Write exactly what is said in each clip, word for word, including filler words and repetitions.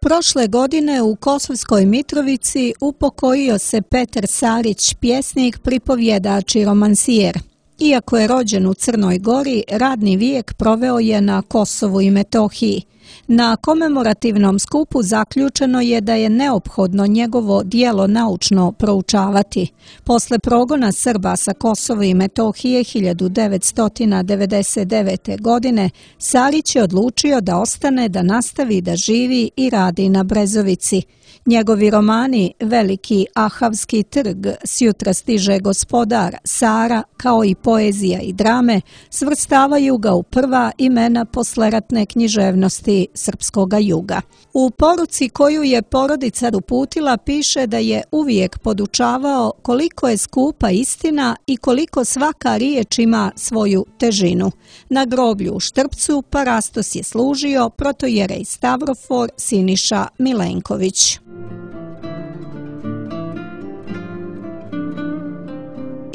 Prošle godine u Kosovskoj Mitrovici upokojio se Petar Sarić, pjesnik, pripovjedač i romansijer. Iako je rođen u Crnoj Gori, radni vijek proveo je na Kosovu i Metohiji. Na komemorativnom skupu zaključeno je da je neophodno njegovo djelo naučno proučavati. Posle progona Srba sa Kosova i Metohije hiljadu devetsto devedeset devete. godine, Sarić je odlučio da ostane, da nastavi da živi i radi na Brezovici. Njegovi romani Veliki Ahavski trg, Sjutra stiže gospodar, Sara, kao i poezija i drame, svrstavaju ga u prva imena posleratne književnosti srpskoga juga. U poruci koju je porodica uputila piše da je uvijek podučavao koliko je skupa istina i koliko svaka riječ ima svoju težinu. Na groblju u Štrpcu parastos je služio protojerej Stavrofor Siniša Milenković.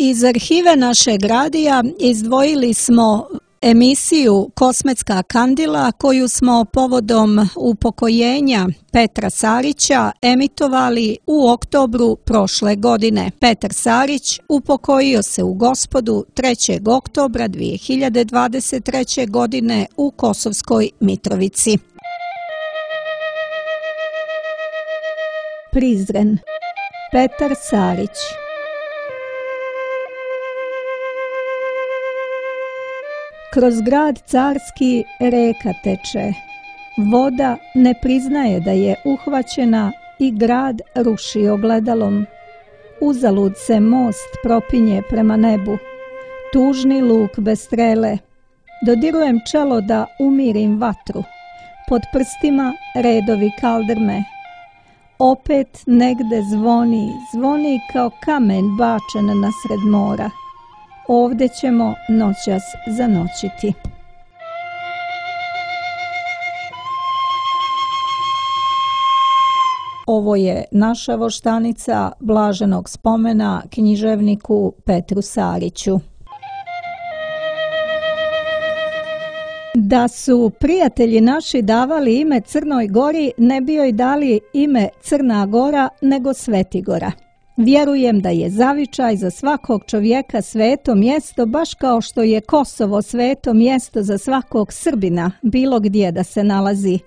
Iz arhive našeg radija izdvojili smo emisiju Kosmetska kandila koju smo povodom upokojenja Petra Sarića emitovali u oktobru prošle godine. Petar Sarić upokojio se u Gospodu trećeg oktobra dvije hiljade dvadeset treće. godine u Kosovskoj Mitrovici. Prizren. Petar Sarić. Kroz grad carski reka teče. Voda ne priznaje da je uhvaćena i grad ruši ogledalom. Uzalud se most propinje prema nebu. Tužni luk bez strele. Dodirujem čelo da umirim vatru. Pod prstima redovi kaldrme. Opet negde zvoni, zvoni kao kamen bačen nasred mora. Ovde ćemo noćas zanoćiti. Ovo je naša voštanica blaženog spomena književniku Petru Sariću. Da su prijatelji naši davali ime Crnoj Gori, ne bi joj dali ime Crna Gora, nego Svetigora. Vjerujem da je zavičaj za svakog čovjeka sveto mjesto, baš kao što je Kosovo sveto mjesto za svakog Srbina, bilo gdje da se nalazi.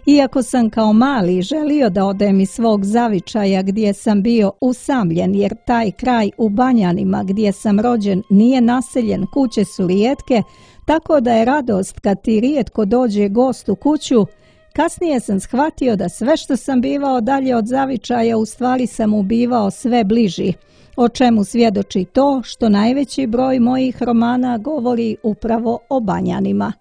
Iako sam kao mali želio da odem iz svog zavičaja gdje sam bio usamljen, jer taj kraj u Banjanima gdje sam rođen nije naseljen, kuće su rijetke, tako da je radost kad ti rijetko dođe gost u kuću. Kasnije sam shvatio da sve što sam bivao dalje od zavičaja u stvari sam ubivao sve bliži, o čemu svjedoči to što najveći broj mojih romana govori upravo o Banjanima.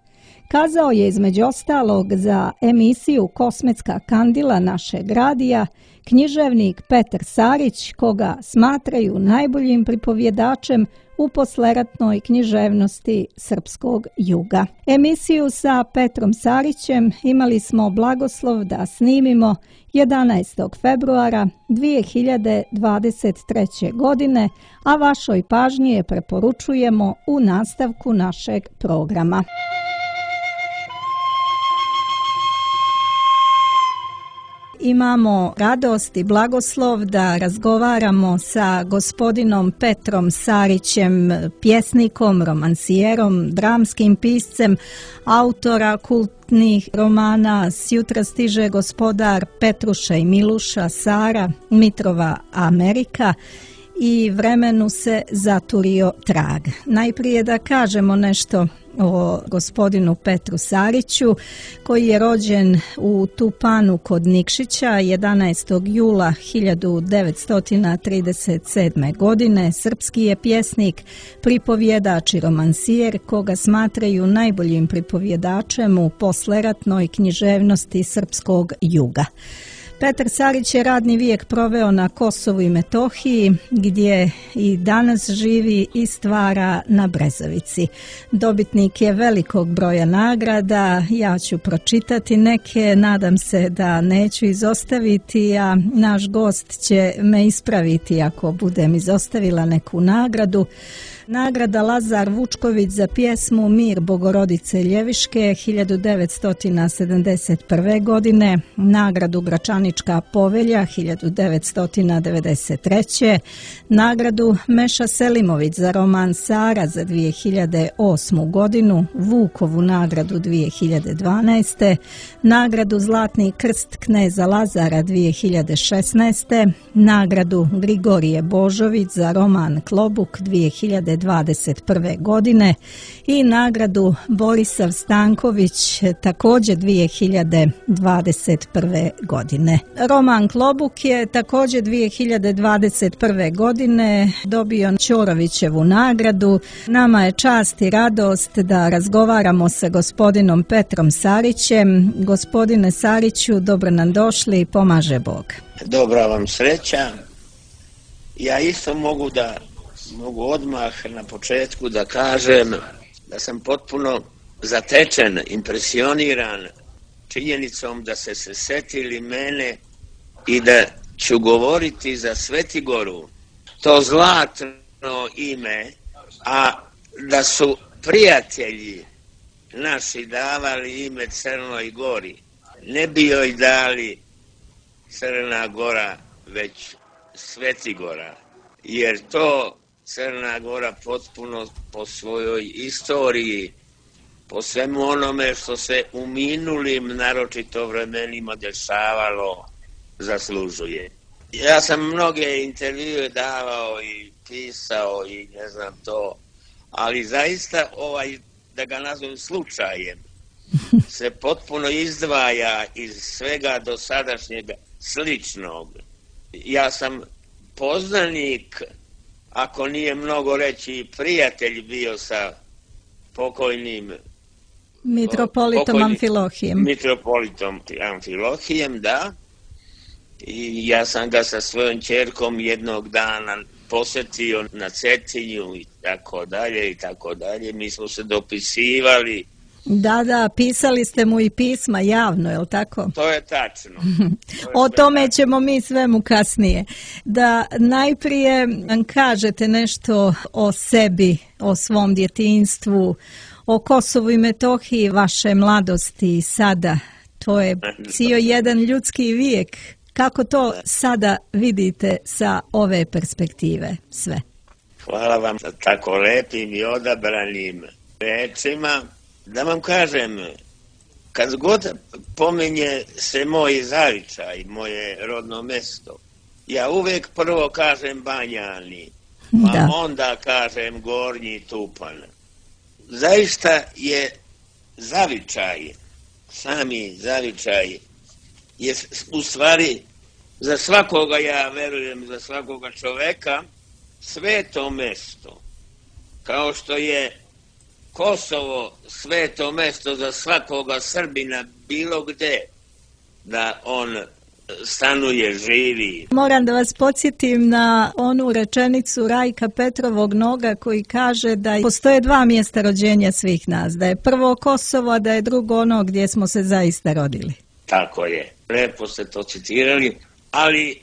Kazao je između ostalog za emisiju Kosmetska kandila našeg radija književnik Petar Sarić, koga smatraju najboljim pripovjedačem u posleratnoj književnosti srpskog juga. Emisiju sa Petrom Sarićem imali smo blagoslov da snimimo jedanaestog februara dvije hiljade dvadeset treće. godine, a vašoj pažnji je preporučujemo u nastavku našeg programa. Imamo radost i blagoslov da razgovaramo sa gospodinom Petrom Sarićem, pjesnikom, romansijerom, dramskim piscem, autora kultnih romana Sjutra stiže gospodar, Petruša i Miluša, Sara, Mitrova Amerika i Vremenu se zaturio trag. Najprije da kažemo nešto o gospodinu Petru Sariću, koji je rođen u Tupanu kod Nikšića jedanaestog jula hiljadu devetsto trideset sedme. godine. Srpski je pjesnik, pripovjedač i romansijer, koga smatraju najboljim pripovjedačem u posleratnoj književnosti srpskog juga. Petar Sarić je radni vijek proveo na Kosovu i Metohiji, gdje i danas živi i stvara na Brezovici. Dobitnik je velikog broja nagrada, ja ću pročitati neke, nadam se da neću izostaviti, a naš gost će me ispraviti ako budem izostavila neku nagradu. Nagrada Lazar Vučković za pjesmu Mir Bogorodice Ljeviške hiljadu devetsto sedamdeset prve. godine, nagradu Gračanička povelja hiljadu devetsto devedeset treće. nagradu Meša Selimović za roman Sara za dvije hiljade osmu. godinu, Vukovu nagradu dvije hiljade dvanaeste. nagradu Zlatni krst kneza Lazara dvije hiljade šesnaeste. nagradu Grigorije Božović za roman Klobuk dvije hiljade dvadeset prve. godine i nagradu Borisav Stanković također dvije hiljade dvadeset prve. godine. Roman Klobuk je također dvije hiljade dvadeset prve. godine dobio Ćorovićevu nagradu. Nama je čast i radost da razgovaramo sa gospodinom Petrom Sarićem. Gospodine Sariću, dobro nam došli i pomaže Bog. Dobra vam sreća. Ja isto mogu da mogu odmah na početku da kažem da sam potpuno zatečen, impresioniran činjenicom da ste se setili mene i da ću govoriti za Svetigoru, to zlatno ime, a da su prijatelji naši davali ime Crnoj Gori. Ne bi joj dali Crna Gora, već Svetigora, jer to Crna Gora potpuno po svojoj istoriji, po svemu onome što se u minulim, naročito vremenima dešavalo, zaslužuje. Ja sam mnoge intervjue davao i pisao i ne znam to, ali zaista ovaj, da ga nazovem slučajem, se potpuno izdvaja iz svega dosadašnjeg sličnog. Ja sam poznanik, ako nije mnogo reći prijatelj, bio sa pokojnim Mitropolitom pokojnim, Amfilohijem. Mitropolitom Amfilohijem, da. I ja sam ga sa svojom ćerkom jednog dana posjetio na Cetinju i tako dalje i tako dalje. Mi smo se dopisivali. Da, da, pisali ste mu i pisma javno, je li tako? To je tačno. To je o tome tačno. ćemo mi svemu kasnije. Da najprije nam kažete nešto o sebi, o svom djetinjstvu, o Kosovu i Metohiji, vaše mladosti i sada. To je cijel jedan ljudski vijek. Kako to sada vidite sa ove perspektive sve? Hvala vam za tako lepim i odabranim rečima. Da vam kažem, kad god pomenje se moj zavičaj, moje rodno mesto, ja uvek prvo kažem Banjani, pa da. onda kažem Gornji Tupan. Zaista je zavičaj, sami zavičaj, je u stvari za svakoga, ja verujem, za svakoga čoveka, sveto mesto, kao što je Kosovo sveto mesto za svakoga Srbina bilo gde da on stanuje, živi. Moram da vas podsjetim na onu rečenicu Rajka Petrovog Noga koji kaže da postoje dva mjesta rođenja svih nas, da je prvo Kosovo, a da je drugo ono gdje smo se zaista rodili. Tako je, lepo ste to citirali, ali,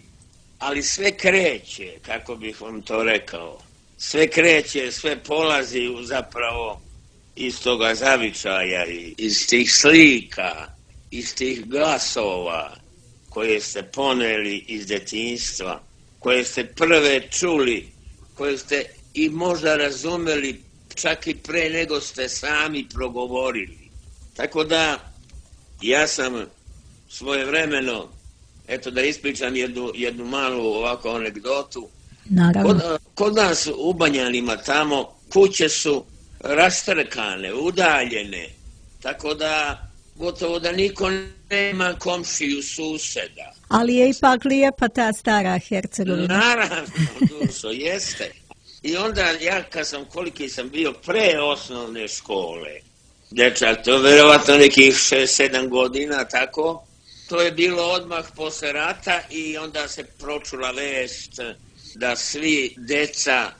ali sve kreće, kako bih vam to rekao, sve kreće, sve polazi u zapravo iz toga zavičaja, iz tih slika, iz tih glasova koje ste poneli iz djetinjstva, koje ste prve čuli, koje ste i možda razumeli čak i pre nego ste sami progovorili. Tako da ja sam svojevremeno, eto da ispričam jednu, jednu malu ovako anegdotu. Kod, kod nas u Banjanima tamo kuće su rastrkane, udaljene, tako da gotovo da niko nema komšiju, suseda. Ali je ipak lijepa ta stara Hercegovina. Naravno, dušo, jeste. I onda ja kad sam, koliki sam bio pre osnovne škole, dečak, to je verovatno nekih šest sedam godina, tako, to je bilo odmah posle rata i onda se pročula vest da svi deca,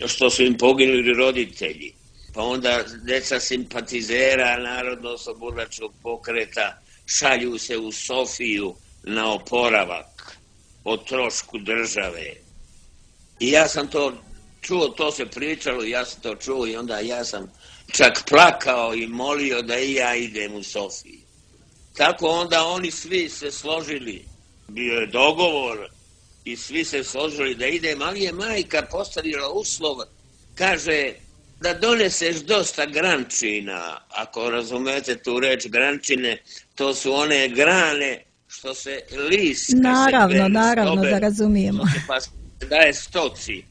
što su im poginuli roditelji, pa onda deca simpatizera Narodno-oslobodilačkog pokreta šalju se u Sofiju na oporavak o trošku države. I ja sam to čuo, to se pričalo, ja sam to čuo i onda ja sam čak plakao i molio da i ja idem u Sofiju. Tako onda oni svi se složili, bio je dogovor i svi se složili da idem, ali je majka postavila uslov, kaže da doneseš dosta grančina, ako razumete tu reč grančine, to su one grane što se list... Naravno, naravno da razumijemo. Pa se daje stoci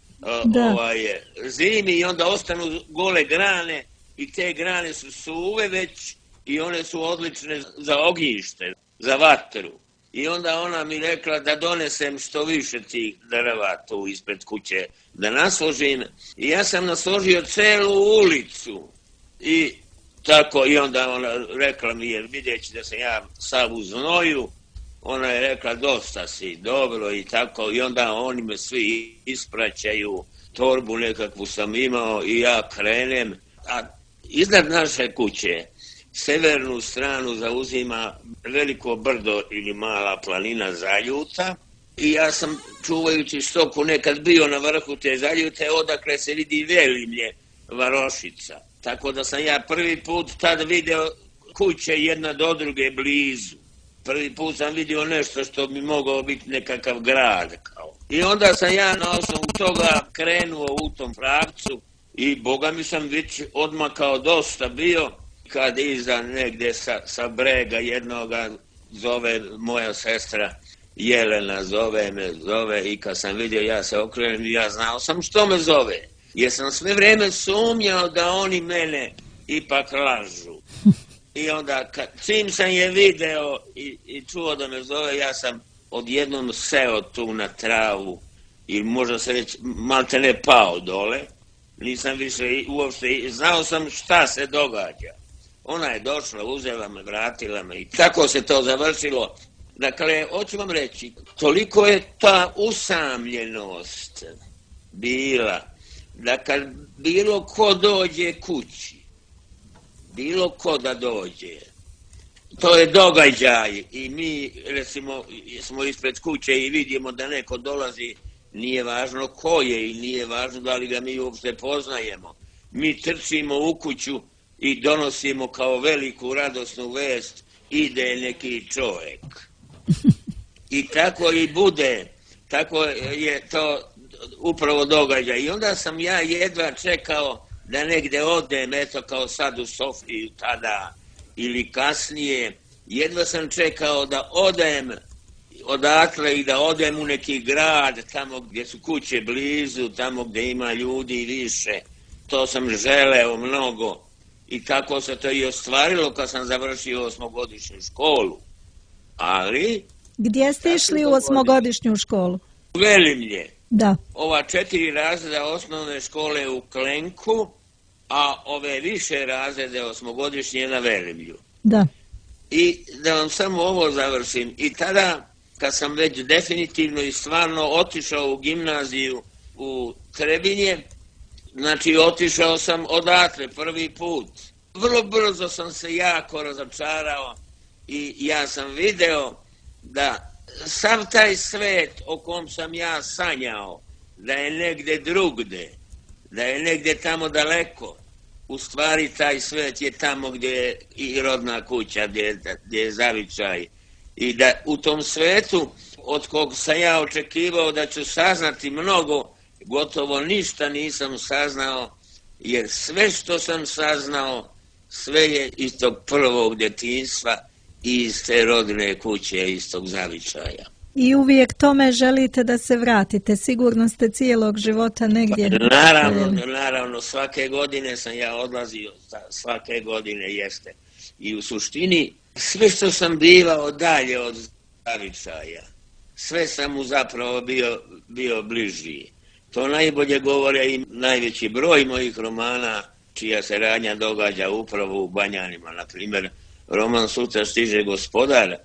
da. Ovaj, zimi i onda ostanu gole grane i te grane su suve već i one su odlične za ognjište, za vatru. I onda ona mi rekla da donesem što više tih drva tu ispred kuće, da nasložim. I ja sam nasložio celu ulicu. I tako, i onda ona rekla mi je, vidjeći da sam ja sav u znoju, ona je rekla dosta si, dobro i tako. I onda oni me svi ispraćaju, torbu nekakvu sam imao i ja krenem. A iznad naše kuće severnu stranu zauzima veliko brdo ili mala planina Zaljuta i ja sam čuvajući stoku nekad bio na vrhu te Zaljute odakle se vidi Velimlje, varošica. Tako da sam ja prvi put tad video kuće jedna do druge blizu. Prvi put sam vidio nešto što bi mogao biti nekakav grad. Kao. I onda sam ja na osnovu toga krenuo u tom pravcu i boga mi sam već odmakao dosta bio. Kad iza negdje sa, sa brega jednoga zove moja sestra Jelena, zove me, zove i kad sam vidio ja se okrenem i ja znao sam što me zove. Jer sam sve vrijeme sumnjao da oni mene ipak lažu. I onda kad, čim sam je video i, i čuo da me zove, ja sam odjednom seo tu na travu i možda se reći malte ne pao dole. Nisam više uopšte, znao sam šta se događa. Ona je došla, uzela me, vratila me i tako se to završilo. Dakle, hoću vam reći, toliko je ta usamljenost bila, da kad bilo ko dođe kući, bilo ko da dođe, to je događaj i mi, recimo, smo ispred kuće i vidimo da neko dolazi, nije važno ko je i nije važno da li ga mi uopšte poznajemo. Mi trčimo u kuću i donosimo kao veliku radosnu vest, ide neki čovjek. I tako i bude, tako je to upravo događaj. I onda sam ja jedva čekao da negdje odem, eto kao sad u Sofiju tada ili kasnije, jedva sam čekao da odem odatle i da odem u neki grad, tamo gdje su kuće blizu, tamo gdje ima ljudi više. To sam želeo mnogo. I tako se to i ostvarilo kad sam završio osmogodišnju školu. Ali... Gdje ste išli u osmogodišnju školu? U Velimlje. Da. Ova četiri razreda osnovne škole u Klenku, a ove više razrede osmogodišnje na Velimlju. Da. I da vam samo ovo završim. I tada, kad sam već definitivno i stvarno otišao u gimnaziju u Trebinje, znači, otišao sam odatle prvi put. Vrlo brzo sam se jako razočarao i ja sam video da sav taj svet o kom sam ja sanjao, da je negdje drugde, da je negdje tamo daleko, u stvari taj svet je tamo gdje je i rodna kuća, gdje, gdje je zavičaj. I da u tom svetu, od kog sam ja očekivao da ću saznati mnogo, gotovo ništa nisam saznao, jer sve što sam saznao, sve je iz tog prvog djetinjstva i iz te rodne kuće, iz tog zavičaja. I uvijek tome želite da se vratite, sigurno ste cijelog života negdje. Naravno, naravno, svake godine sam ja odlazio, svake godine jeste. I u suštini, sve što sam bivao dalje od zavičaja, sve sam mu zapravo bio, bio bližiji. To najbolje govore i najveći broj mojih romana, čija se radnja događa upravo u Banjanima. Na primjer, roman Sutra stiže gospodar,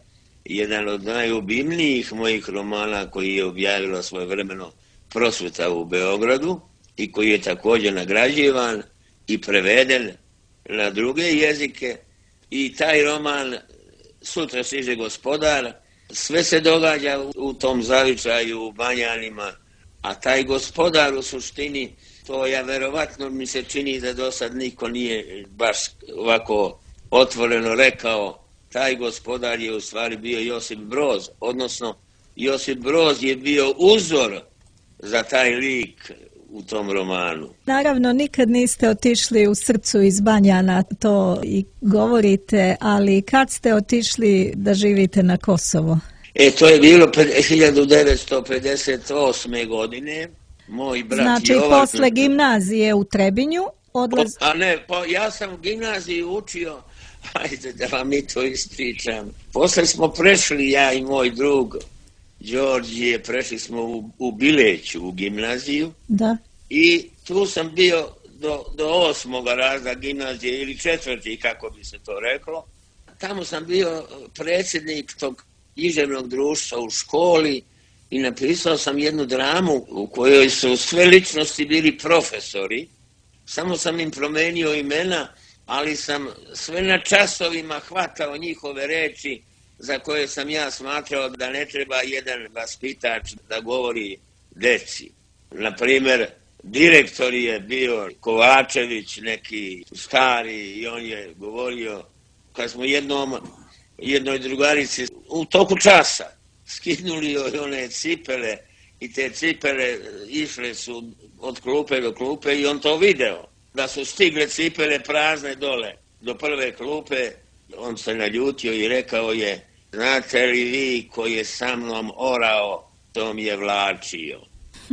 jedan od najubimnijih mojih romana koji je objavila svojevremeno Prosveta u Beogradu i koji je također nagrađivan i preveden na druge jezike. I taj roman Sutra stiže gospodar, sve se događa u tom zavičaju u Banjanima. A taj gospodar u suštini, To ja verovatno mi se čini da do sad niko nije baš ovako otvoreno rekao. Taj gospodar je u stvari bio Josip Broz, odnosno Josip Broz je bio uzor za taj lik u tom romanu. Naravno, nikad niste otišli u srcu iz Banjana, to i govorite, ali kad ste otišli da živite na Kosovo? E, to je bilo hiljadu devetsto pedeset osme. godine. Moj brat znači, Jovan... posle gimnazije u Trebinju odlaz... A ne, pa ja sam u gimnaziji učio, ajde da vam i to ispričam. Posle smo prešli, ja i moj drug Đorđije, prešli smo u, u Bileću, u gimnaziju. Da. I tu sam bio do, do osmoga razda gimnazije ili četvrti, kako bi se to reklo. Tamo sam bio predsjednik tog književnog društva u školi i napisao sam jednu dramu u kojoj su sve ličnosti bili profesori. Samo sam im promenio imena, ali sam sve na časovima hvatao njihove reči za koje sam ja smatrao da ne treba jedan vaspitač da govori deci. Naprimjer, direktor je bio Kovačević, neki stari, i on je govorio, kad smo jednom, jednoj drugarici u toku časa skinuli one cipele i te cipele išle su od klupe do klupe i on to video. Da su stigle cipele prazne dole do prve klupe, on se naljutio i rekao je: znate li vi ko je sa mnom orao, to mi je vlačio.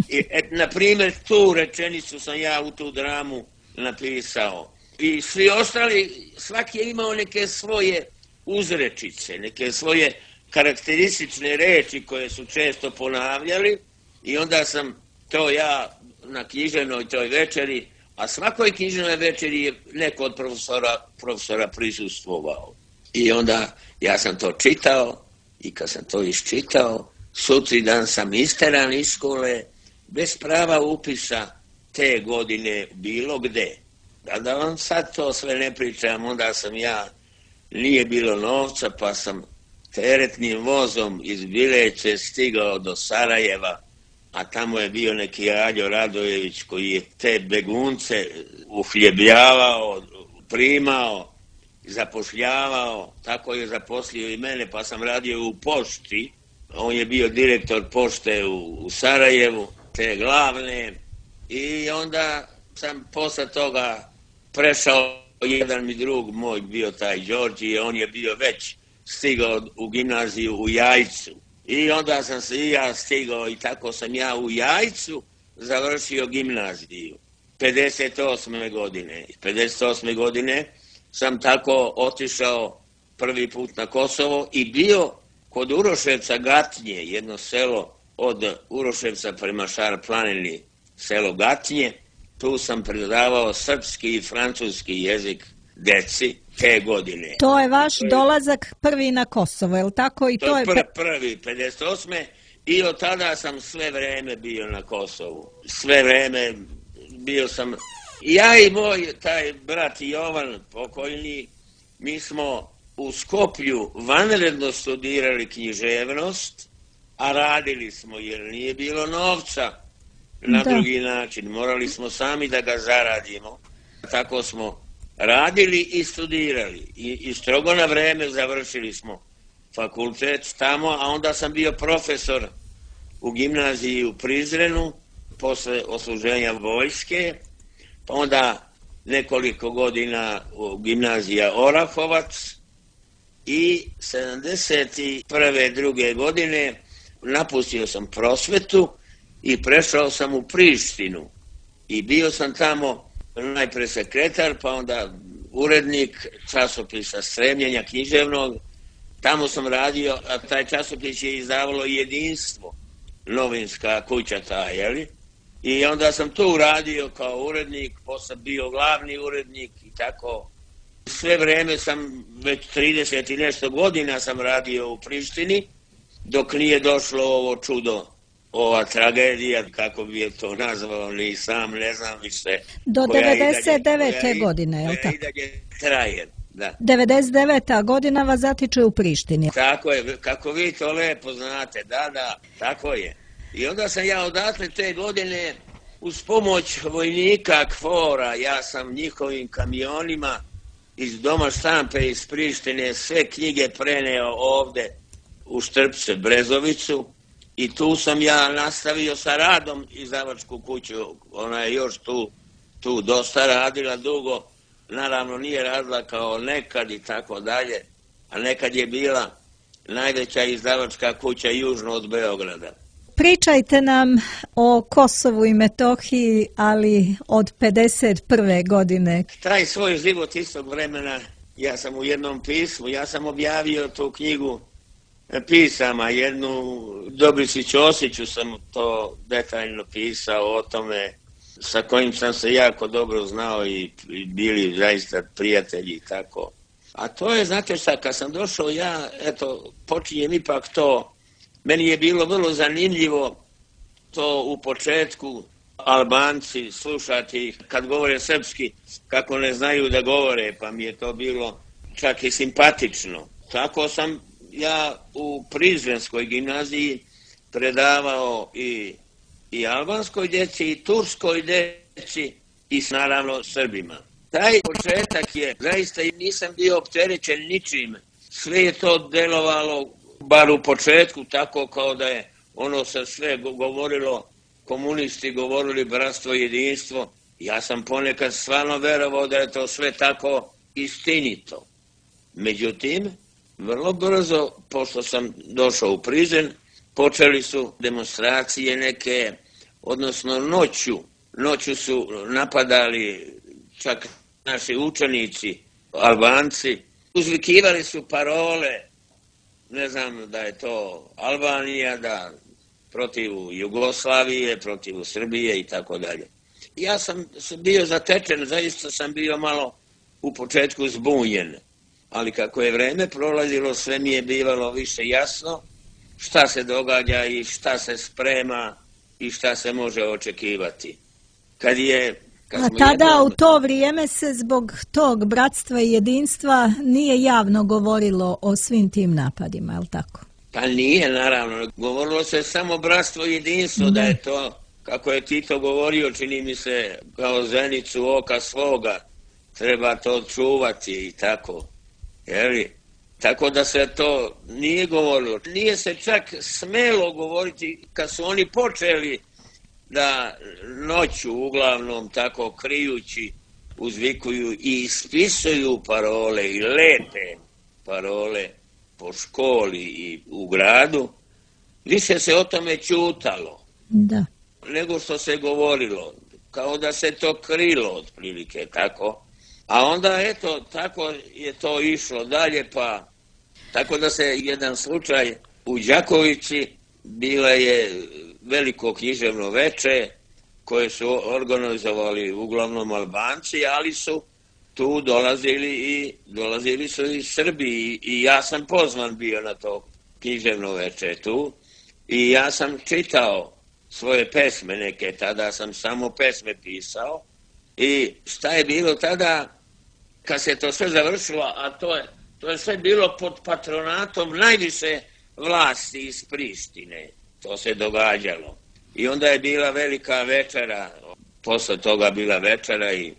I, et, na primjer, tu rečenicu sam ja u tu dramu napisao. I svi ostali, svaki je imao neke svoje uzrečice, neke svoje karakteristične reči koje su često ponavljali i onda sam to ja na književnoj toj večeri, a svakoj književnoj večeri je neko od profesora, profesora prisustvovao. I onda ja sam to čitao i kad sam to iščitao, sutri dan sam isteran iz škole bez prava upisa te godine bilo gde. A da vam sad to sve ne pričam, onda sam ja, nije bilo novca, pa sam teretnim vozom iz Bileće stigao do Sarajeva, a tamo je bio neki Aljo Radojević koji je te begunce uhljebljavao, primao, zapošljavao, tako je zaposlio i mene, pa sam radio u pošti. On je bio direktor pošte u, u Sarajevu, te glavne, i onda sam posle toga prešao, jedan mi drug moj bio taj Đorđije, on je bio već stigao u gimnaziju u Jajcu. I onda sam se i ja stigao i tako sam ja u Jajcu završio gimnaziju. pedeset osme. godine. pedeset osme. godine sam tako otišao prvi put na Kosovo i bio kod Uroševca Gatnje, jedno selo od Uroševca prema Šar planini, selo Gatnje. Tu sam predavao srpski i francuski jezik deci te godine. To je vaš dolazak prvi na Kosovo, je li tako? I to, to je pr- prvi, pedeset osme. I od tada sam sve vreme bio na Kosovu. Sve vreme bio sam... Ja i moj taj brat Jovan, pokojni, mi smo u Skoplju vanredno studirali književnost, a radili smo jer nije bilo novca na da. drugi način. Morali smo sami da ga zaradimo. Tako smo radili i studirali. I, i strogo na vreme završili smo fakultet tamo, a onda sam bio profesor u gimnaziji u Prizrenu posle odsluženja vojske, pa onda nekoliko godina u gimnazija Orahovac i sedamdeset prve druge godine napustio sam prosvetu i prešao sam u Prištinu i bio sam tamo najpre sekretar, pa onda urednik časopisa Stremljenja književnog. Tamo sam radio, a taj časopis je izdavalo Jedinstvo, novinska kuća ta, jeli? I onda sam tu radio kao urednik, posle bio glavni urednik i tako. Sve vreme sam, već trideset i nešto godina sam radio u Prištini, dok nije došlo ovo čudo, ova tragedija, kako bi je to nazvao, ni sam ne znam više. Do devedeset devete. godine, je li tako? Koja i dalje traje, da. devedeset deveta. godina vas zatiče u Prištini. Tako je, kako vi to lepo znate, da, da, tako je. I onda sam ja odatle te godine uz pomoć vojnika KFOR-a, ja sam njihovim kamionima iz Doma štampe iz Prištine sve knjige preneo ovde u Štrpce, Brezovicu, i tu sam ja nastavio sa radom izdavačku kuću. Ona je još tu, tu dosta radila dugo, naravno nije radila kao nekad i tako dalje, a nekad je bila najveća izdavačka kuća južno od Beograda. Pričajte nam o Kosovu i Metohiji, ali od pedeset prve godine. Taj svoj život istog vremena, ja sam u jednom pismu, ja sam objavio tu knjigu pisama, jednu Dobrici Ćosiću sam to detaljno pisao o tome, sa kojim sam se jako dobro znao i, i bili zaista prijatelji i tako. A to je, znate šta, kad sam došao ja, eto, počinjem ipak to, meni je bilo vrlo zanimljivo to u početku Albanci slušati kad govore srpski, kako ne znaju da govore, pa mi je to bilo čak i simpatično. Tako sam ja u Prizrenskoj gimnaziji predavao i, i albanskoj djeci, i turskoj djeci, i naravno Srbima. Taj početak je, zaista nisam bio opterećen ničim. Sve je to delovalo, bar u početku, tako kao da je ono se sve govorilo, komunisti govorili bratstvo i jedinstvo. Ja sam ponekad stvarno verovao da je to sve tako istinito. Međutim, vrlo brzo, pošto sam došao u Prizren, počeli su demonstracije neke, odnosno noću. Noću su napadali čak naši učenici, Albanci. Uzvikivali su parole, ne znam da je to Albanija, da protiv Jugoslavije, protiv Srbije i tako dalje. Ja sam bio zatečen, zaista sam bio malo u početku zbunjen. Ali kako je vreme prolazilo, sve mi je bivalo više jasno šta se događa i šta se sprema i šta se može očekivati. Kad je, kad A tada jedno... u to vrijeme se zbog tog bratstva i jedinstva nije javno govorilo o svim tim napadima, je li tako? Pa nije, naravno. Govorilo se samo bratstvo i jedinstvo, ne. Da je to, kako je Tito govorio, čini mi se, kao zenicu oka svoga, treba to čuvati i tako. Jeli? Tako da se to nije govorilo. Nije se čak smelo govoriti kad su oni počeli da noću uglavnom tako krijući uzvikuju i ispisuju parole i lepe parole po školi i u gradu. Više se o tome ćutalo. Da. Nego što se govorilo. Kao da se to krilo otprilike tako. A onda, eto, tako je to išlo dalje, pa tako da se jedan slučaj u Đakovici, bila je veliko književno veče koje su organizovali uglavnom Albanci, ali su tu dolazili i dolazili su i Srbi i, i ja sam pozvan bio na to književno veče tu i ja sam čitao svoje pesme neke, tada sam samo pesme pisao. I šta je bilo tada, kad se to sve završilo, a to je, to je sve bilo pod patronatom najviše vlasti iz Prištine. To se događalo. I onda je bila velika večera, posle toga bila večera i,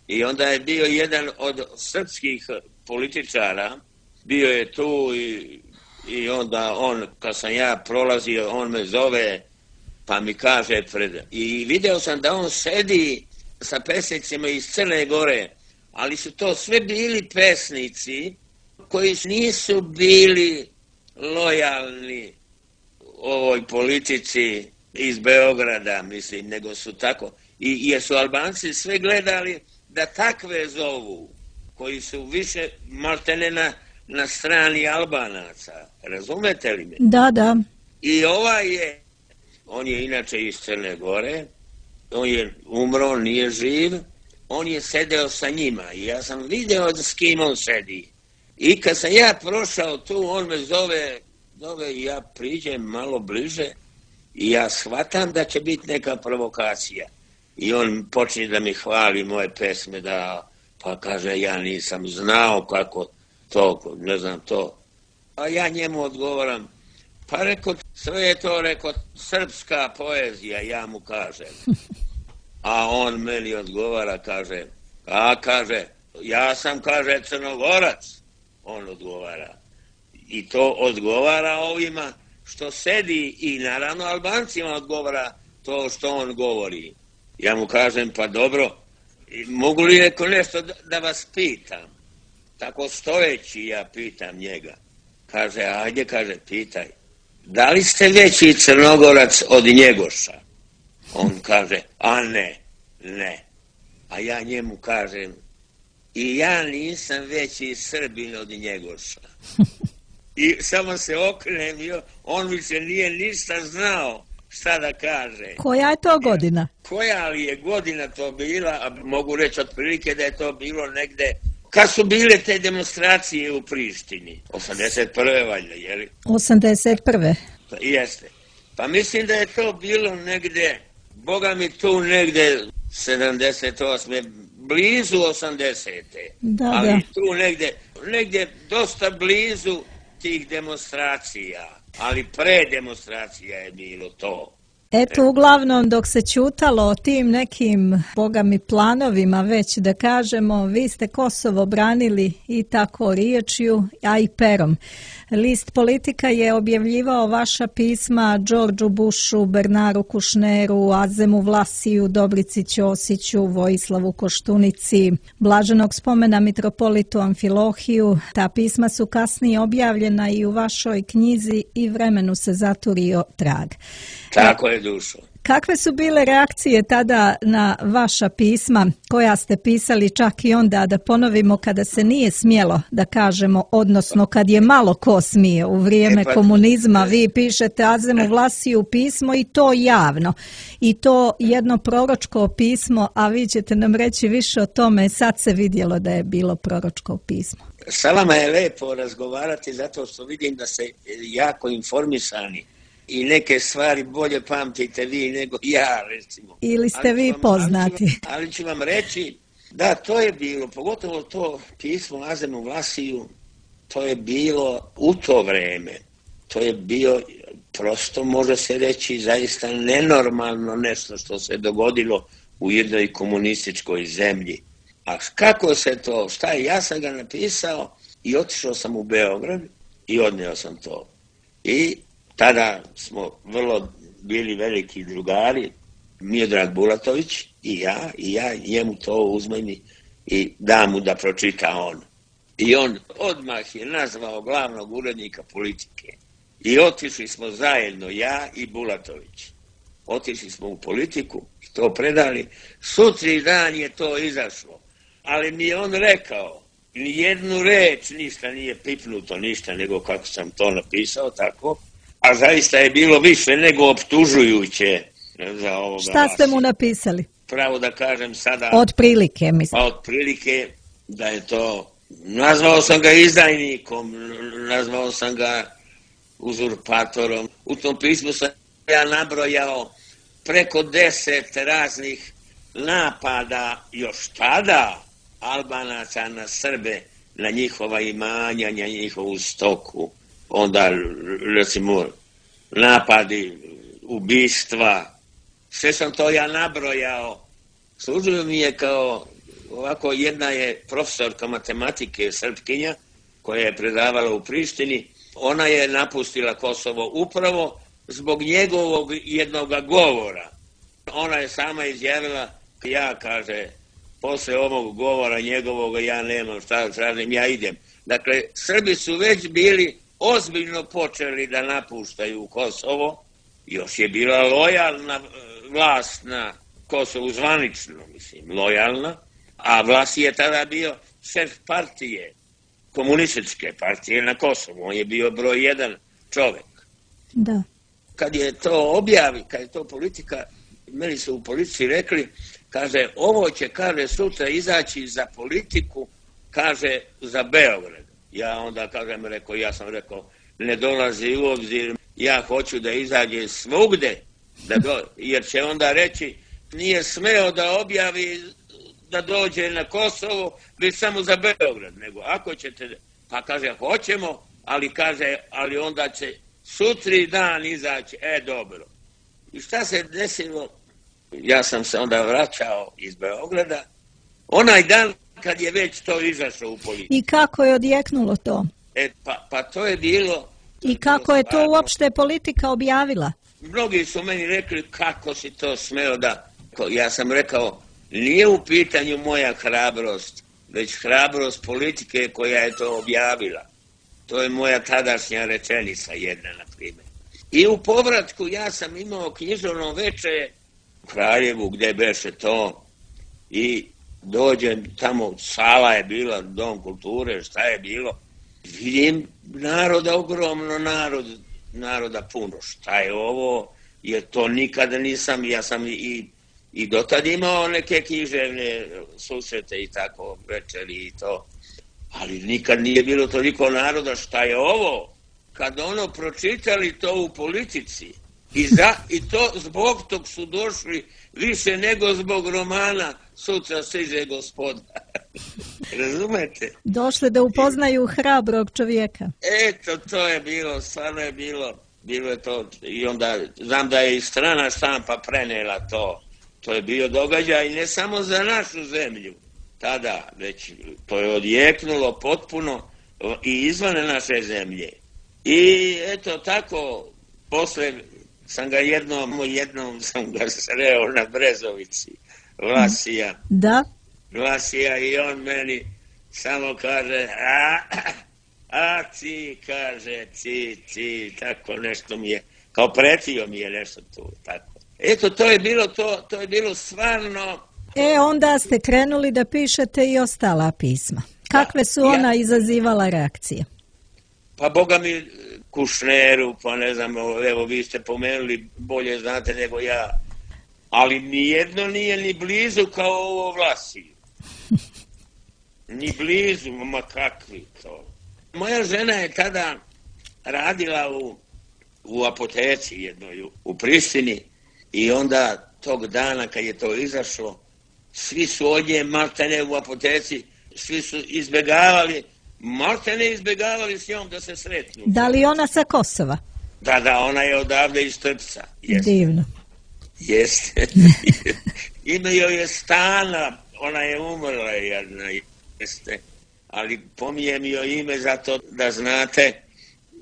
i onda je bio jedan od srpskih političara, bio je tu i, i onda on, kad sam ja prolazio, on me zove, pa mi kaže pred... I video sam da on sedi sa pesnicima iz Crne Gore, ali su to sve bili pesnici koji nisu bili lojalni ovoj politici iz Beograda, mislim, nego su tako. I jer su Albanci sve gledali da takve zovu, koji su više maltene na, na strani Albanaca. Razumete li me? Da, da. I ovaj je, on je inače iz Crne Gore, on je umro, nije živ, on je sedeo sa njima i ja sam video s kim on sedi. I kad sam ja prošao tu, on me zove, zove i ja priđem malo bliže i ja shvatam da će biti neka provokacija. I on počne da mi hvali moje pesme, da, pa kaže, ja nisam znao kako to, ne znam to. A ja njemu odgovoram, pa reko, sve je to, reko, srpska poezija, ja mu kažem. A on meni odgovara, kaže, a kaže, ja sam, kaže, Crnogorac. On odgovara. I to odgovara ovima što sedi i naravno Albancima odgovara to što on govori. Ja mu kažem, pa dobro, mogu li neko nešto da vas pitam? Tako stojeći ja pitam njega. Kaže, ajde, kaže, pitaj. Da li ste veći Crnogorac od Njegoša? On kaže, a ne, ne. A ja njemu kažem, i ja nisam veći Srbin od Njegoša. I samo se okrenem, on više nije ništa znao šta da kaže. Koja je to godina? Koja li je godina to bila, a mogu reći otprilike da je to bilo negde, kad su bile te demonstracije u Prištini? osamdeset prve valjda, je li? osamdeset prve Pa, jeste. Pa mislim da je to bilo negde, boga mi tu negde sedamdeset osme blizu osamdesete Da, ali da. tu negde, negde dosta blizu tih demonstracija, ali pre demonstracija je bilo to. Eto, uglavnom, dok se ćutalo o tim nekim, boga mi, planovima, već da kažemo, vi ste Kosovo branili i tako riječju, a i perom. List Politika je objavljivao vaša pisma Đorđu Bushu, Bernaru Kušneru, Azemu Vlasiju, Dobrici Ćosiću, Vojislavu Koštunici, blaženog spomena mitropolitu Amfilohiju. Ta pisma su kasnije objavljena i u vašoj knjizi I vremenu se zaturio trag. Tako je, dušo. Kakve su bile reakcije tada na vaša pisma koja ste pisali čak i onda, da ponovimo, kada se nije smjelo, da kažemo, odnosno kad je malo ko smije u vrijeme e pa, komunizma, vi pišete Azemu Vlasiju pismo i to javno. I to jedno proročko pismo, a vi ćete nam reći više o tome, sad se vidjelo da je bilo proročko pismo. Sa vama je lepo razgovarati zato što vidim da ste jako informisani. I neke stvari bolje pamtite vi nego ja, recimo. Ili ste vi vam, poznati. Ali ću, vam, ali ću vam reći, da, to je bilo, pogotovo to pismo Azemu Vlasiju, to je bilo u to vreme. To je bio, prosto može se reći, zaista nenormalno nešto što se dogodilo u jednoj komunističkoj zemlji. A kako se to, šta je, ja sam ga napisao i otišao sam u Beograd i odneo sam to. I tada smo vrlo bili veliki drugari, Miodrag Bulatović i ja, i ja njemu to uzmem i dam mu da pročita on. I on odmah je nazvao glavnog urednika Politike. I otišli smo zajedno, ja i Bulatović. Otišli smo u Politiku i to predali. Sutri dan je to izašlo. Ali mi je on rekao, ni jednu reč, ništa nije pipnuto, ništa, nego kako sam to napisao, tako. A zaista je bilo više nego optužujuće za ovoga. Šta ste mu napisali? Pravo da kažem sada. Od prilike, mislim. Od prilike da je to, nazvao sam ga izdajnikom, nazvao sam ga uzurpatorom. U tom pismu sam ja nabrojao preko deset raznih napada još tada Albanaca na Srbe, na njihova imanja, na njihovu stoku. Onda, recimo, napadi, ubistva, sve sam to ja nabrojao. Služio mi je kao, ovako, jedna je profesorka matematike, Srpkinja, koja je predavala u Prištini. Ona je napustila Kosovo upravo zbog njegovog jednoga govora. Ona je sama izjavila, ja, kaže, posle ovog govora njegovog ja nemam šta da tražim, ja idem. Dakle, Srbi su već bili ozbiljno počeli da napuštaju Kosovo, još je bila lojalna vlast na Kosovu, zvanično, mislim, lojalna, a vlast je tada bio šef partije, komunističke partije na Kosovu, on je bio broj jedan čovjek. Da. Kad je to objavi, kad je to Politika, meni su u Politici rekli, kaže, ovo će, kaže, sutra izaći za Politiku, kaže, za Beograd. Ja onda, kažem, rekao, ja sam rekao, ne dolazi u obzir, ja hoću da izađe svugde, da do, jer će onda reći, nije smeo da objavi da dođe na Kosovo, već samo za Beograd, nego ako ćete, pa kaže, hoćemo, ali kaže, ali onda će sutri dan izaći, e, dobro. I šta se desilo? Ja sam se onda vraćao iz Beograda, onaj dan kad je već to izašlo u politiku. I kako je odjeknulo to? E, pa, pa to je bilo... I kako je to uopšte politika objavila? Mnogi su meni rekli kako si to smeo da... Ja sam rekao, nije u pitanju moja hrabrost, već hrabrost politike koja je to objavila. To je moja tadašnja rečenica jedna, na primjer. I u povratku ja sam imao književno veče u Kraljevu gdje beše to i dođem tamo, sala je bila, dom kulture, šta je bilo. Vidim naroda, ogromno narod, naroda puno. Šta je ovo? Jer to nikada nisam, ja sam i, i dotad imao neke književne susrete i tako, večeri i to. Ali nikad nije bilo toliko naroda. Šta je ovo? Kad ono pročitali to u politici i, za, i to zbog tog su došli više nego zbog romana Sutra stiže gospoda. Razumete? Došli da upoznaju hrabrog čovjeka. Eto, to je bilo, stvarno je bilo, bilo je to. I onda znam da je i strana štampa prenela to. To je bio događaj ne samo za našu zemlju tada, već to je odjeknulo potpuno i izvan naše zemlje. I eto tako, posle sam ga jednom, jednom sam ga sreo na Brezovici, Vlasija. Da? Vlasija i on meni samo kaže, a, a ti, kaže, ti, ti, tako nešto mi je, kao pretio mi je nešto tu, tako. Eto, to je bilo, to, to je bilo stvarno... E, onda ste krenuli da pišete i ostala pisma. Kakve su ona ja, izazivala reakcije? Pa boga mi, Kušneru, pa ne znam, evo vi ste pomenuli, bolje znate nego ja, ali nijedno nije ni blizu kao ovo Vlasiju. Ni blizu, ma kakvi to. Moja žena je tada radila u, u apoteci jednoj u Prištini i onda tog dana kad je to izašlo, svi su od nje maltene u apoteci, svi su izbjegavali, maltene izbjegavali s njom da se sretnu. Da li ona sa Kosova? Da, da, ona je odavde iz Trpca. Jeste. Divno. Jeste. Ime joj je Stana, ona je umrla jedna, jeste. Ali pomijem joj ime zato da znate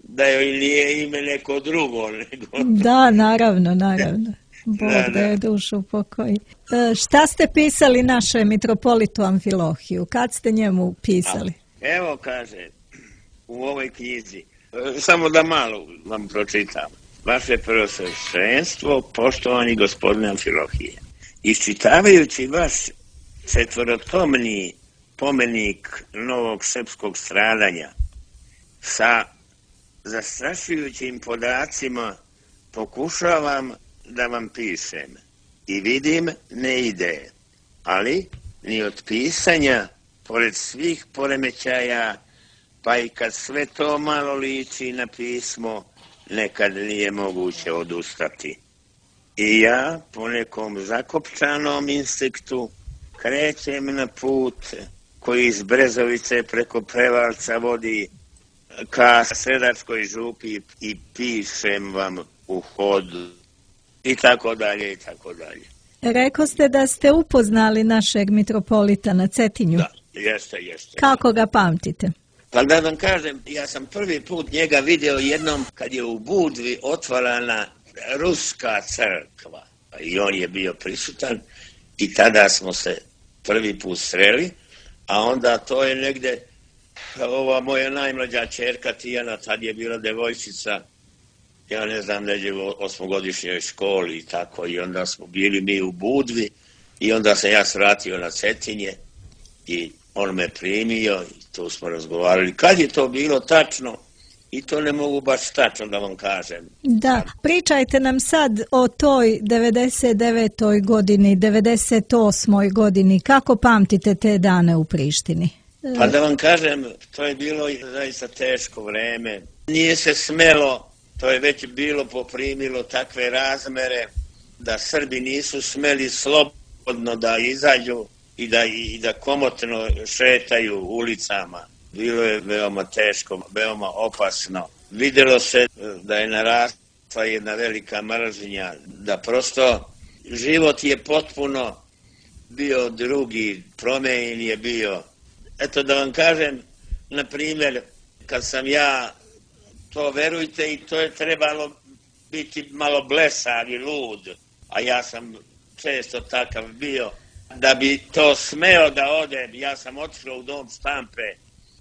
da joj nije ime neko drugo. Nego... Da, naravno, naravno. Bog da, da je dušu pokoji. E, šta ste pisali naše mitropolitu Amfilohiju? Kad ste njemu pisali? A, evo kaže, u ovoj knjizi, samo da malo vam pročitam. Vaše prvosveštenstvo, poštovani gospodine Amfilohije, iščitavajući vaš četvorotomni pomenik novog srpskog stradanja sa zastrašujućim podacima pokušavam da vam pišem i vidim ne ide, ali ni od pisanja, pored svih poremećaja, pa i kad sve to malo liči na pismo, nekad nije moguće odustati. I ja po nekom zakopčanom instinktu krećem na put koji iz Brezovice preko Prevalca vodi ka Sredačkoj župi i pišem vam u hodu i tako dalje i tako dalje. Rekao ste da ste upoznali našeg mitropolita na Cetinju. Da, jeste, jeste. Kako ga pamtite? Pa da vam kažem, ja sam prvi put njega vidio jednom kad je u Budvi otvarana ruska crkva. I on je bio prisutan i tada smo se prvi put sreli, a onda to je negde, ova moja najmlađa ćerka Tijana, tad je bila devojčica, ja ne znam, neđe u osmogodišnjoj školi i tako, i onda smo bili mi u Budvi i onda sam ja svratio na Cetinje i on me primio i tu smo razgovarali. Kad je to bilo tačno, i to ne mogu baš tačno da vam kažem. Da, pričajte nam sad o toj devedeset devetoj godini, devedeset osmoj godini. Kako pamtite te dane u Prištini? Pa da vam kažem, to je bilo zaista teško vreme. Nije se smelo, to je već bilo poprimilo takve razmere da Srbi nisu smeli slobodno da izađu i da, i da komotno šetaju ulicama. Bilo je veoma teško, veoma opasno. Vidjelo se da je narasla jedna velika mržnja, da prosto život je potpuno bio drugi, promijenjen je bio. Eto da vam kažem, na primjer, kad sam ja, to verujte, i to je trebalo biti malo blesav i lud, a ja sam često takav bio, da bi to smeo da odem. Ja sam otišao u dom štampe,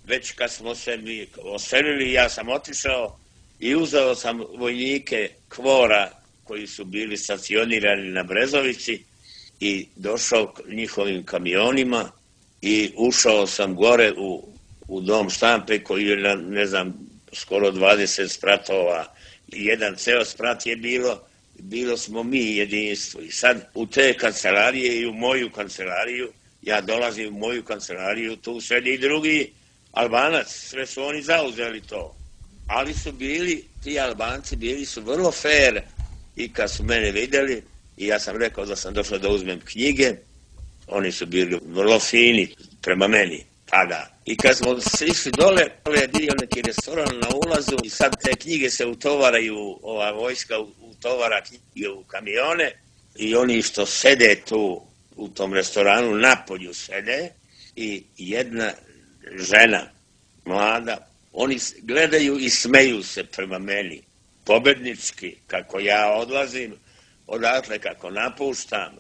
već kad smo se mi oselili, ja sam otišao i uzeo sam vojnike Kvora koji su bili stacionirani na Brezovici i došao njihovim kamionima i ušao sam gore u, u dom štampe koji je na, ne znam, skoro dvadeset spratova. Jedan ceo sprat je bilo, bilo smo mi jedinstvo. I sad u te kancelarije i u moju kancelariju, ja dolazim u moju kancelariju, tu sedi i drugi Albanac, sve su oni zauzeli to. Ali su bili, ti Albanci bili su vrlo fair i kad su mene vidjeli, i ja sam rekao da sam došao da uzmem knjige, oni su bili vrlo fini prema meni tada. I kad smo išli dole, dole je bio neki restoran na ulazu i sad te knjige se utovaraju, ova vojska utovara knjige u kamione i oni što sede tu u tom restoranu napolju sede i jedna žena, mlada, oni gledaju i smeju se prema meni, pobednički, kako ja odlazim, odatle kako napuštam.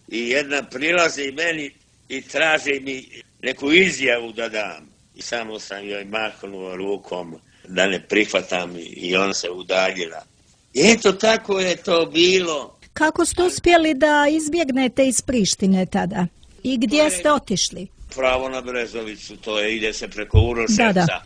I jedna prilazi meni i traži mi neku izjavu da dam. I samo sam joj mahnuo rukom da ne prihvatam i ona se udaljila. I eto tako je to bilo. Kako ste uspjeli da izbjegnete iz Prištine tada? I gdje ste otišli? Pravo na Brezovicu, to je, ide se preko Uroševca. Da, da.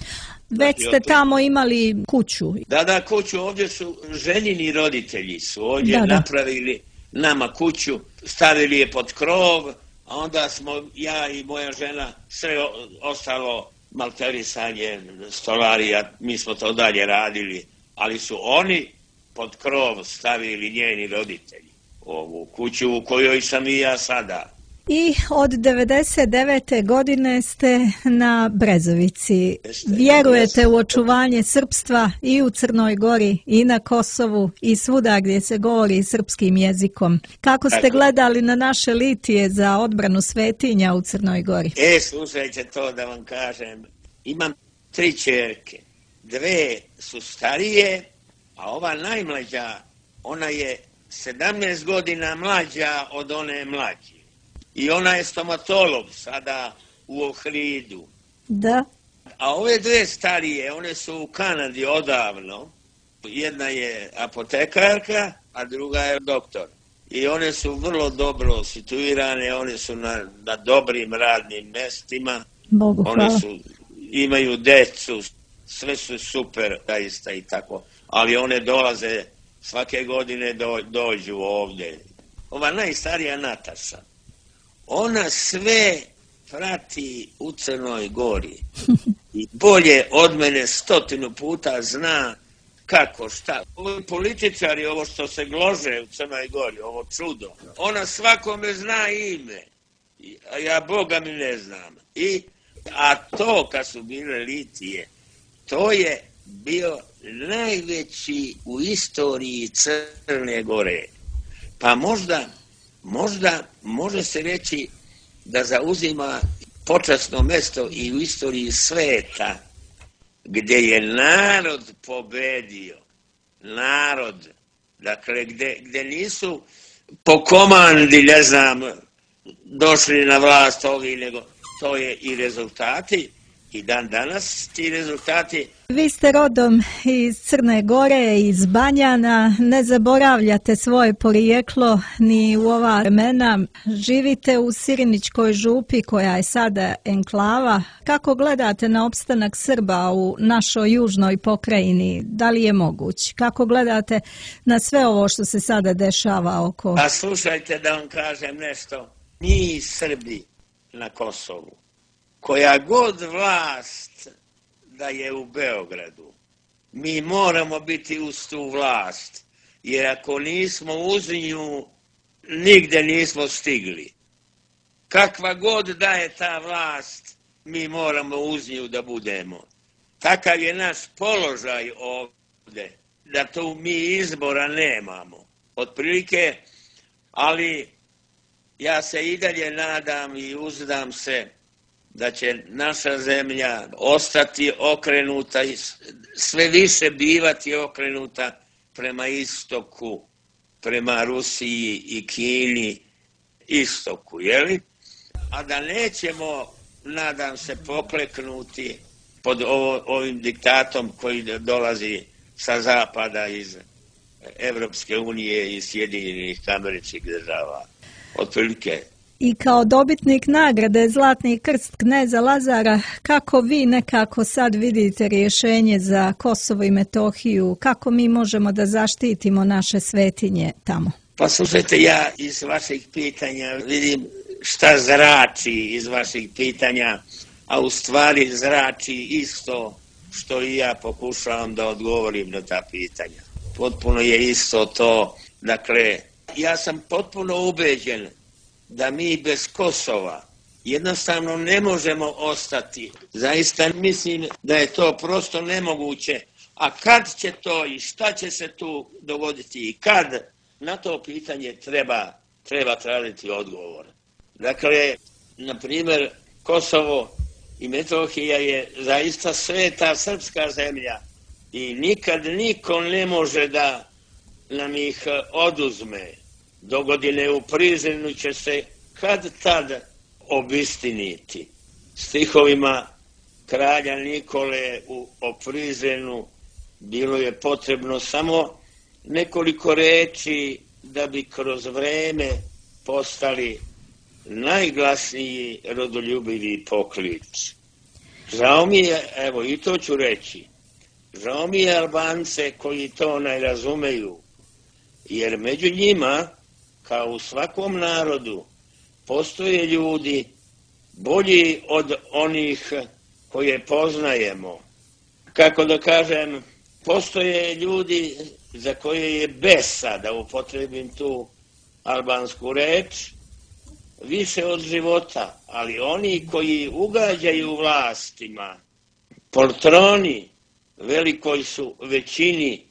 Već ste tamo imali kuću. Da, da, kuću. Ovdje su ženini roditelji su ovdje da, napravili da. nama kuću, stavili je pod krov, a onda smo ja i moja žena sve ostalo malterisanje, stolarija, mi smo to dalje radili, ali su oni pod krov stavili njeni roditelji ovu kuću u kojoj sam i ja sada. I od devedeset devete godine ste na Brezovici. Vjerujete u očuvanje srpstva i u Crnoj Gori i na Kosovu i svuda gdje se govori srpskim jezikom. Kako ste gledali na naše litije za odbranu svetinja u Crnoj Gori? E, slušajte to da vam kažem. Imam tri ćerke. Dve su starije, a ova najmlađa, ona je sedamnaest godina mlađa od one mlađe. I ona je stomatolog sada u Ohridu. Da. A ove dve starije, one su u Kanadi odavno. Jedna je apotekarka, a druga je doktor. I one su vrlo dobro situirane, one su na, na dobrim radnim mestima. Bogu hvala. One su, imaju decu, sve su super, zaista i tako. Ali one dolaze, svake godine do, dođu ovdje. Ova najstarija Nataša. Ona sve prati u Crnoj Gori i bolje od mene stotinu puta zna kako, šta. Ovi političari, ovo što se glože u Crnoj Gori, ovo čudo, ona svakome zna ime, a ja Boga mi ne znam. I, a to kad su bile litije, to je bio najveći u istoriji Crne Gore. Pa možda... Možda može se reći da zauzima počasno mjesto i u istoriji sveta gdje je narod pobedio. Narod. Dakle, gdje, gdje nisu po komandi, ne znam, došli na vlast ovi, nego to je i rezultati. I dan danas ti rezultati. Vi ste rodom iz Crne Gore, iz Banjana, ne zaboravljate svoje porijeklo ni u ova vremena. Živite u Sirinićkoj župi koja je sada enklava. Kako gledate na opstanak Srba u našoj južnoj pokrajini? Da li je moguć? Kako gledate na sve ovo što se sada dešava oko? A slušajte da vam kažem nešto. Mi Srbi na Kosovu, koja god vlast da je u Beogradu, mi moramo biti uz tu vlast, jer ako nismo uz nju, nigde nismo stigli. Kakva god da je ta vlast, mi moramo uz nju da budemo. Takav je naš položaj ovdje, da tu mi izbora nemamo. Otprilike, ali ja se i dalje nadam i uzdam se da će naša zemlja ostati okrenuta i sve više bivati okrenuta prema istoku, prema Rusiji i Kini, istoku, jeli? A da nećemo, nadam se, pokleknuti pod ovo, ovim diktatom koji dolazi sa zapada iz Evropske unije i Sjedinjenih Američkih Država. Otprilike. I kao dobitnik nagrade Zlatni krst kneza Lazara, kako vi nekako sad vidite rješenje za Kosovo i Metohiju? Kako mi možemo da zaštitimo naše svetinje tamo? Pa slušajte, ja iz vaših pitanja vidim šta zrači iz vaših pitanja, a u stvari zrači isto što i ja pokušavam da odgovorim na ta pitanja. Potpuno je isto to. Dakle, ja sam potpuno ubeđen da mi bez Kosova jednostavno ne možemo ostati. Zaista mislim da je to prosto nemoguće. A kad će to i šta će se tu dogoditi i kad, na to pitanje treba, treba tražiti odgovor. Dakle, na primjer, Kosovo i Metohija je zaista sveta srpska zemlja i nikad niko ne može da nam ih oduzme. Dogodine u Prizrenu će se kad tad obistiniti. Stihovima kralja Nikole u Prizrenu bilo je potrebno samo nekoliko reči da bi kroz vreme postali najglasniji rodoljubivi poklič. Žao mi je, evo i to ću reći, žao mi je Albance koji to ne razumeju, jer među njima, kao u svakom narodu, postoje ljudi bolji od onih koje poznajemo. Kako da kažem, postoje ljudi za koje je besa, da upotrebim tu albansku reč, više od života, ali oni koji ugađaju vlastima, poltroni, velikoj su većini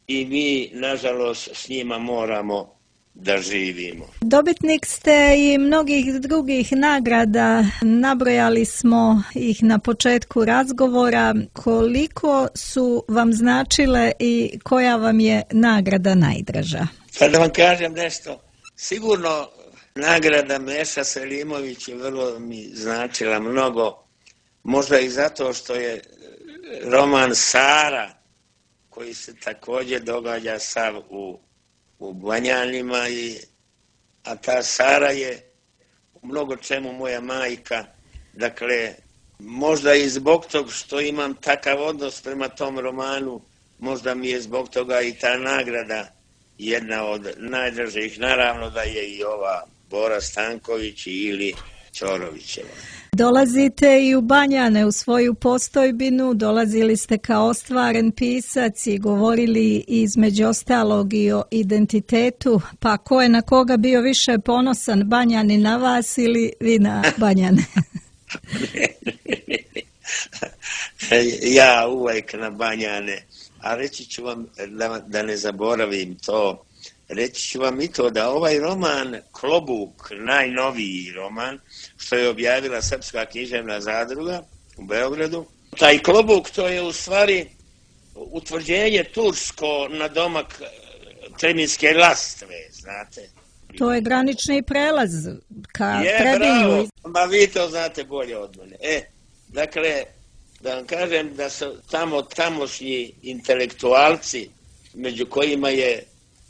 i mi, nažalost, s njima moramo da živimo. Dobitnik ste i mnogih drugih nagrada, nabrojali smo ih na početku razgovora. Koliko su vam značile i koja vam je nagrada najdraža? Pa da vam kažem nešto, sigurno nagrada Meša Selimović je vrlo mi značila mnogo, možda i zato što je roman Sara, koji se također događa sav u, u Banjanima, i, a ta Sara je u mnogo čemu moja majka. Dakle, možda i zbog toga što imam takav odnos prema tom romanu, možda mi je zbog toga i ta nagrada jedna od najdražih. Naravno da je i ova Bora Stanković ili Ćorovićeva. Dolazite i u Banjane u svoju postojbinu, dolazili ste kao ostvaren pisac i govorili između ostalog i o identitetu, pa ko je na koga bio više ponosan, Banjani na vas ili vi na Banjane? Ja uvijek na Banjane, a reći ću vam da, da ne zaboravim to, reći ću vam i to da ovaj roman Klobuk, najnoviji roman, što je objavila Srpska književna zadruga u Beogradu, taj Klobuk to je u stvari utvrđenje tursko na domak Treminjske Lastve, znate. To je granični prelaz ka je, Trebinju. Bravo, ma vi to znate bolje od mene. E, dakle, da vam kažem da su tamo tamošnji intelektualci, među kojima je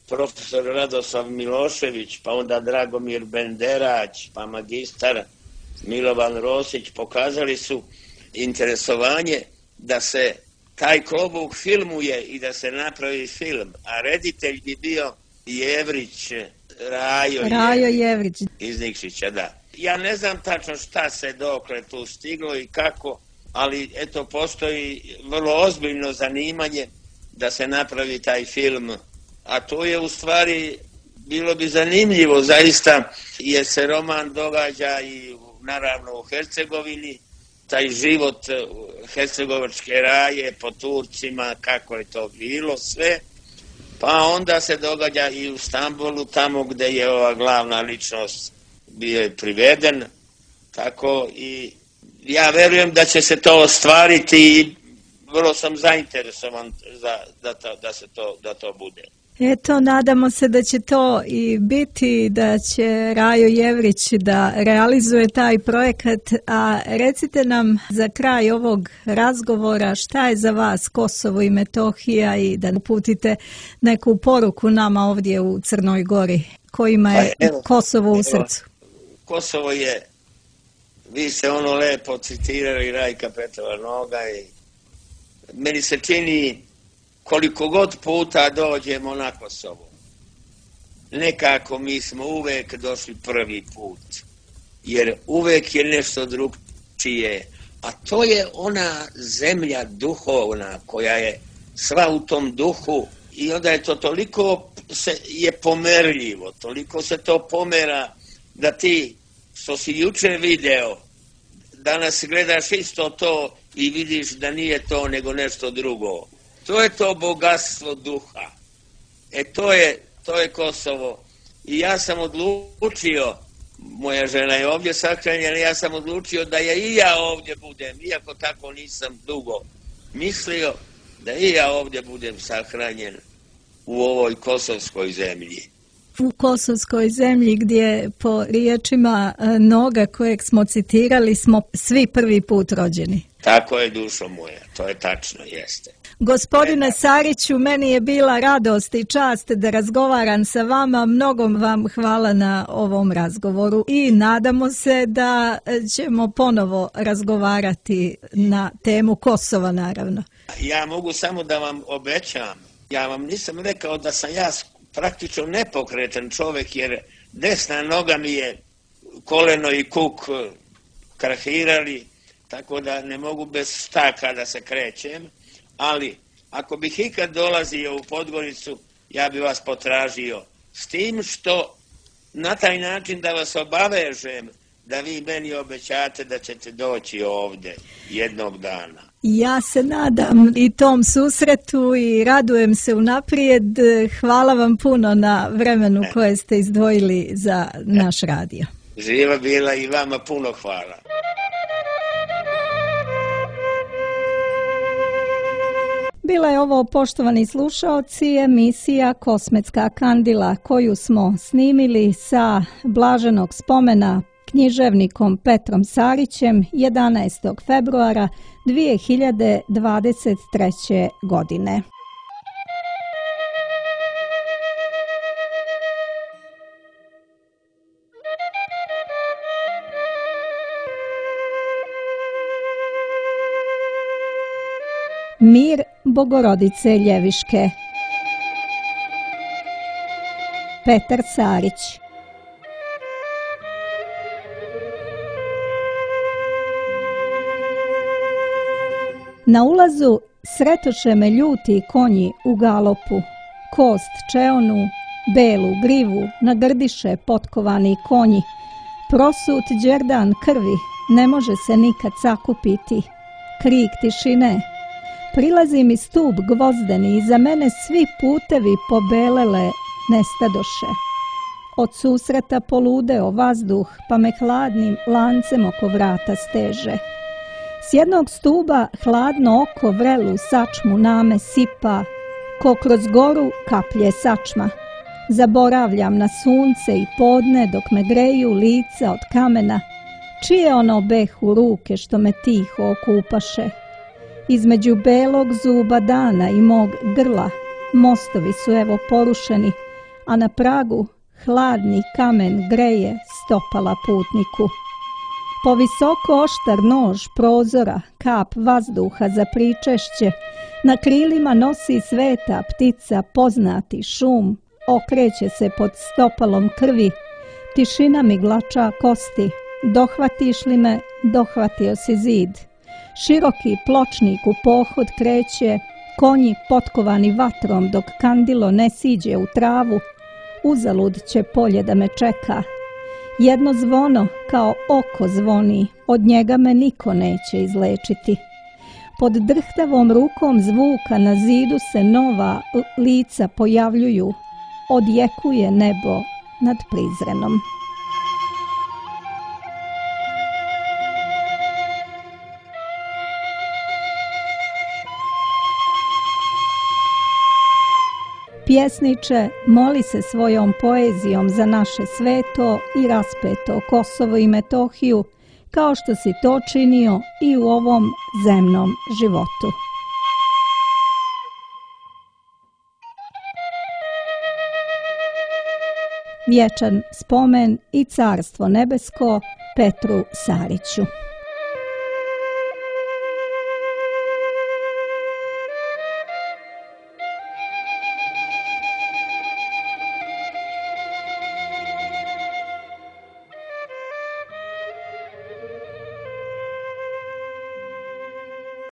profesor Radoslav Milošević, pa onda Dragomir Benderać, pa magistar Milovan Rosić, pokazali su interesovanje da se taj Klobuk filmuje i da se napravi film, a reditelj bi bio Jevrić, Rajo, Rajo Jevrić iz Nikšića, da. Ja ne znam tačno šta se dokle tu stiglo i kako, ali eto postoji vrlo ozbiljno zanimanje da se napravi taj film, a to je u stvari bilo bi zanimljivo zaista, jer se roman događa i naravno u Hercegovini, taj život hercegovačke raje po Turcima, kako je to bilo sve, Pa onda se događa i u Stambolu, tamo gdje je ova glavna ličnost bio je priveden, tako i ja verujem da će se to ostvariti i vrlo sam zainteresovan za, da, to, da se to, da to bude. Eto, nadamo se da će to i biti, da će Rajo Jevrić da realizuje taj projekat, a recite nam za kraj ovog razgovora šta je za vas Kosovo i Metohija i da uputite neku poruku nama ovdje u Crnoj Gori, kojima je pa evo, Kosovo u srcu. Evo, Kosovo je, vi ste ono lepo citirali Rajka Petrova Noga i meni se čini koliko god puta dođemo na Kosovo, nekako mi smo uvek došli prvi put, jer uvek je nešto drugčije, a to je ona zemlja duhovna koja je sva u tom duhu i onda je to toliko se je pomerljivo, toliko se to pomera da ti što si juče video, danas gledaš isto to i vidiš da nije to nego nešto drugo. To je to bogatstvo duha. E to je, to je Kosovo. I ja sam odlučio, moja žena je ovdje sahranjena, ja sam odlučio da je i ja ovdje budem, iako tako nisam dugo mislio, da i ja ovdje budem sahranjen u ovoj kosovskoj zemlji. U kosovskoj zemlji gdje po riječima Noga kojeg smo citirali smo svi prvi put rođeni. Tako je, dušo moja, to je tačno, jeste. Gospodine Sariću, meni je bila radost i čast da razgovaram sa vama. Mnogo vam hvala na ovom razgovoru i nadamo se da ćemo ponovo razgovarati na temu Kosova, naravno. Ja mogu samo da vam obećam, ja vam nisam rekao da sam ja praktično nepokretan čovjek, jer desna noga mi je koleno i kuk krahirali, tako da ne mogu bez štaka da se krećem, ali ako bih ikad dolazio u Podgoricu, ja bi vas potražio, s tim što na taj način da vas obavežem da vi meni obećate da ćete doći ovdje jednog dana. Ja se nadam i tom susretu i radujem se unaprijed. Hvala vam puno na vremenu koje ste izdvojili za naš radio. Živa bila i vama puno hvala. Bila je ovo, poštovani slušaoci, emisija Kosmetska kandila koju smo snimili sa blaženog spomena književnikom Petrom Sarićem jedanaestog februara dvije hiljade dvadeset treće. godine. Mir Bogorodice Ljeviške. Petar Sarić. Na ulazu sretoše me ljuti konji u galopu, kost čeonu, belu grivu nagrdiše potkovani konji, prosut đerdan krvi ne može se nikad sakupiti, krik tišine. Prilazi mi stup gvozdeni i za mene svi putevi pobelele nestadoše. Od susreta poludeo vazduh pa me hladnim lancem oko vrata steže. S jednog stuba hladno oko vrelu sačmu name sipa, ko kroz goru kaplje sačma. Zaboravljam na sunce i podne dok me greju lica od kamena, čije ono behu ruke što me tiho okupaše. Između belog zuba dana i mog grla mostovi su evo porušeni, a na pragu hladni kamen greje stopala putniku. Po visoko oštar nož prozora, kap vazduha za pričešće, na krilima nosi sveta ptica poznati šum, okreće se pod stopalom krvi, tišina mi glača kosti, dohvatiš li me, dohvatio si zid. Široki pločnik u pohod kreće, konji potkovani vatrom dok kandilo ne siđe u travu, uzalud će polje da me čeka. Jedno zvono kao oko zvoni, od njega me niko neće izlečiti. Pod drhtavom rukom zvuka na zidu se nova lica pojavljuju, odjekuje nebo nad Prizrenom. Pjesniče, moli se svojom poezijom za naše sveto i raspeto Kosovo i Metohiju, kao što si to činio i u ovom zemnom životu. Vječan spomen i carstvo nebesko Petru Sariću.